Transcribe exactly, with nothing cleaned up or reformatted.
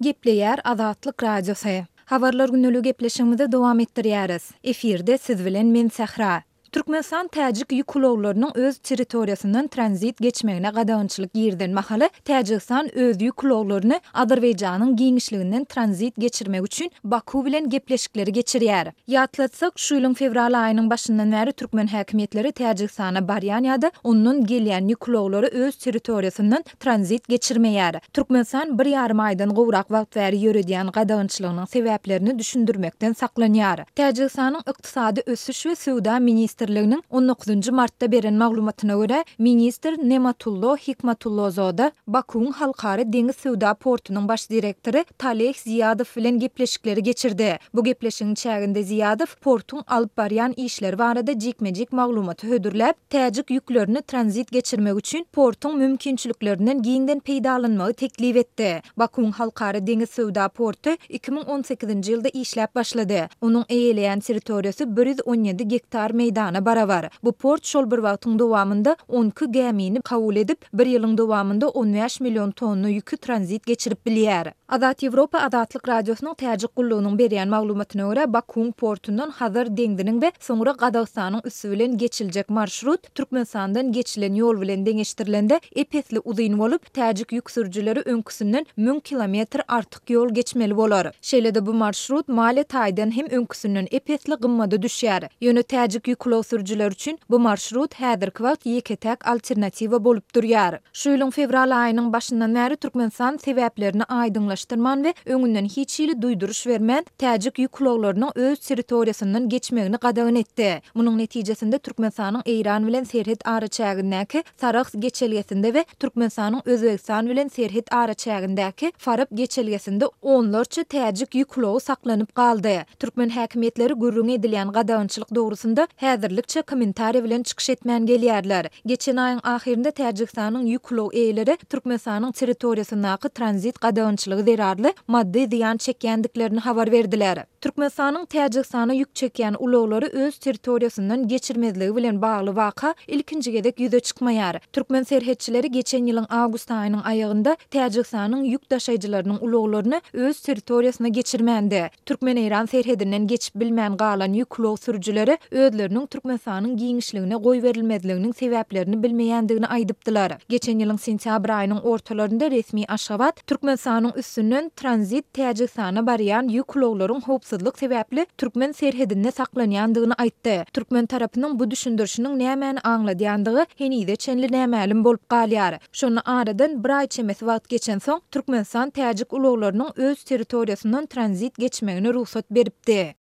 Gepleýär Azatlyk Radiosy. Habarlar gündeligi gepleşigimizi dowam etdirýäris. Efirde siz bilen men Sähra. Türkmenistan täjik ýük ulaglarynyň öz territoriýasyndan tranzit geçmegine gadagançylyk girizen mahaly, Täjigistan öz ýük ulaglaryny Azerbaýjanyň giňişliginden tranzit geçirmek üçin Baku bilen gepleşikleri geçirýär. Ýatlatsak, şu ýylyň fewral aýynyň başyndan bäri türkmen häkimiýetleri Täjigistana barýan ýa-da ondan gelýän ýük ulaglary öz territoriýasyndan tranzit geçirmeýär. Türkmenistan bir ýarym aýdan gowrak wagt bäri ýöredýän gadagançylygynyň sebäplerini düşündirmekden saklanýar. Täjigistanyň Ykdysady ösüş we söwda ministrliginiň on dokuzynjy martda beren maglumatyna görä, ministr Nematullo Hikmatullozoda Bakuwyň Halkara deňiz söwda portunyň baş direktory Taleh Ziýadow bilen gepleşikleri geçirdi. Bu gepleşigiň çäginde Ziýadow portuň alyp barýan işleri barada jikme-jik maglumaty hödürläp, täjik ýüklerini tranzit geçirmek üçin portuň mümkinçiliklerinden giňden peýdalanmagy teklip etdi. Bakuwyň Halkara deňiz söwda porty iki müň on sekizinji ýylda işläp başlady. Onuň eýeleýän territoriýasy bir ýüz on ýedi gektar meýdana barabar. Bu port şol bir wagtyň dowamynda on iki gämini kabul edip, bir ýylyň dowamynda on bäş million tonna ýüki tranzit geçirip bilýär. Azat Ýewropa Azatlyk Radiosynyň Täjik gullugynyň berýän maglumatyna görä, Bakuwyň portundan Hazar deňziniň we soňra Gazagystanyň üsti bilen geçiljek marşrut Türkmenistandan geçilen ýol bilen deňeşdirilende ep-esli uzyn bolup, täjik ýük sürüjileri öňküsinden müň kilometr artyk ýol geçmeli bolar. Şeýle-de bu marşrut maliýe taýdan hem öňküsinden ep-esli gymmada düşýär. Ýöne täjik ýük ulag sürüjileri üçin bu marşrut häzirki wagt ýeke-täk alternatiwa bolup durýar. Şu ýylyň fewral aýynyň başyndan bäri Türkmenistan sebäplerini aýdyňlaşdyrman we öňünden hiç hili duýduryş bermän, täjik ýük ulaglarynyň öz territoriýasyndan geçmegini gadagan etdi. Munuň netijesinde Türkmenistanyň Eýran bilen serhet araçägindäki Sarahs geçelgesinde we Türkmenistanyň Özbegistan bilen serhet araçägindäki Farap geçelgesinde onlarça täjik ýük ulagy saklanyp galdy. Türkmen häkimiýetleri gürrüňi edilýän gadagançylyk dogrusynda häzirlikçe kommentariý bilen çykyş etmän gelýärler. Geçen aýyň ahyrynda Täjigistanyň ýük ulag eýeleri Türkmenistanyň territoriýasyndaky tranzit gadagançylygy zerarly maddy zyýan çekýändiklerini habar berdiler. Türkmenistanyň Täjigistana ýük çekýän ulaglary öz territoriýasyndan geçirmezligi bilen bagly waka ilkinji gezek ýüze çykmaýar. Türkmen serhetçileri geçen ýylyň awgust aýynyň aýagynda Täjigistanyň ýük daşaýjylarynyň ulaglaryny öz territoriýasyna geçirmändi. Türkmen-Eýran serhedinden geçip bilmän galan ýük ulag sürüjileri özleriniň Türkmenistanyň giňişligine goýberilmezliginiň sebäplerini bilmeýändigini aýdypdylar. Geçen ýylyň sentýabr aýynyň ortalarynda resmi Aşgabat Türkmenistanyň üstünden tranzit Täjigistana barýan ýük ulaglaryň howpsuzlyk sebäpli türkmen serhedinde saklanýandygyny aýtdy. Türkmen tarapynyň bu düşündirişiniň nämäni aňladýandygy henize çenli nämälim bolup galýar. Şonda aradan bir aý çemesi wagt geçensoň, Türkmenistan täjik ulaglarynyň öz territoriýasyndan tranzit geçmegine rugsat beripdi.